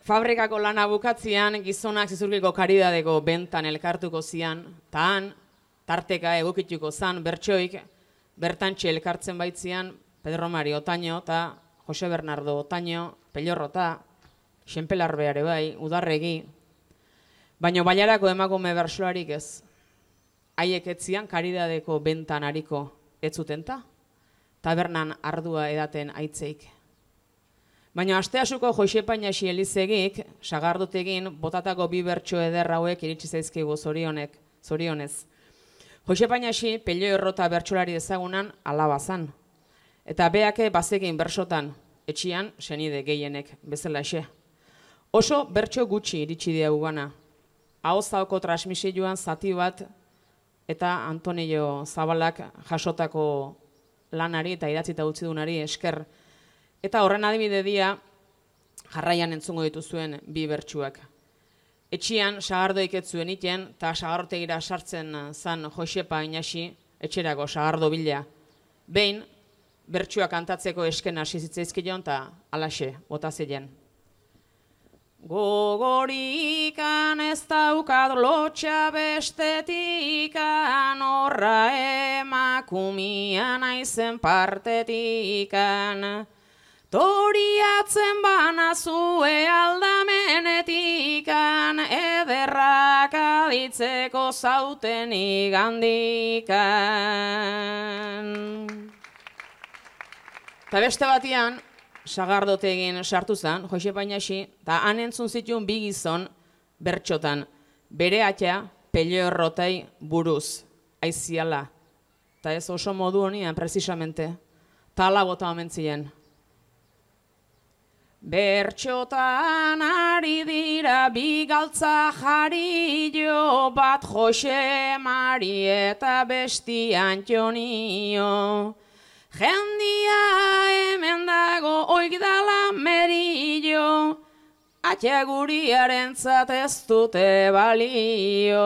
Fabrikako lana bukatzean gizonak zizurkiko karidadeko bentan elkartuko zian, eta han, tarteka egokituko zan bertsoik, bertantxe elkartzen baitzian Pedro Mari Otaño eta Jose Bernardo Otaño, Pellorrota, Xenpelarbeare bai, Udarregi, baina bailarako emakume bertsolarik ez. Haiek etzian karidadeko bentan hariko ez zutenta, tabernan ardua edaten aitzeik. Baina asteasuko Josepainasi Elizegik, sagardotegin, botatako bi bertso eder hauek iritsi zaizkigu zorionez. Josepainasi Pellorrota bertsolari ezagunan alaba zan. Eta beake bazekin bersotan, etxian senide gehienek bezalaxe. Oso bertso gutxi iritsi diagu gana. Ahozako transmisioan zati bat eta Antonio Zabalak jasotako lanari eta idatzita utzi dunari esker. Eta horren adibide dia jarraian entzungo dituzuen bi bertsuak. Etxian sagardoik ez zuen iten eta sagardotegira sartzen zan Josepa Inasi etxerako sagardo bila. Behin, bertsuak kantatzeko esken hasi zitzaizkion eta alaxe, bota zeien. Gogorikan ez daukat lotxa bestetikan, horra emakumia naizen partetikan. Toriatzen banazue aldamenetikan, ederrak aditzeko zauten igandikan. Eta beste batian, sagardotegin sartu zen, Josepainasi, eta han entzun zituen bi gizon bertxotan, bere atea Pellorrotei buruz, aiziala. Eta ez oso modu honian, precisamente, tala bota omentzien. Bertxotan ari dira bi galtza jarillo, bat Jose Mari eta besti Antonio. Jendia hemen dago oigdala merillo, atxaguriaren ez dute balio.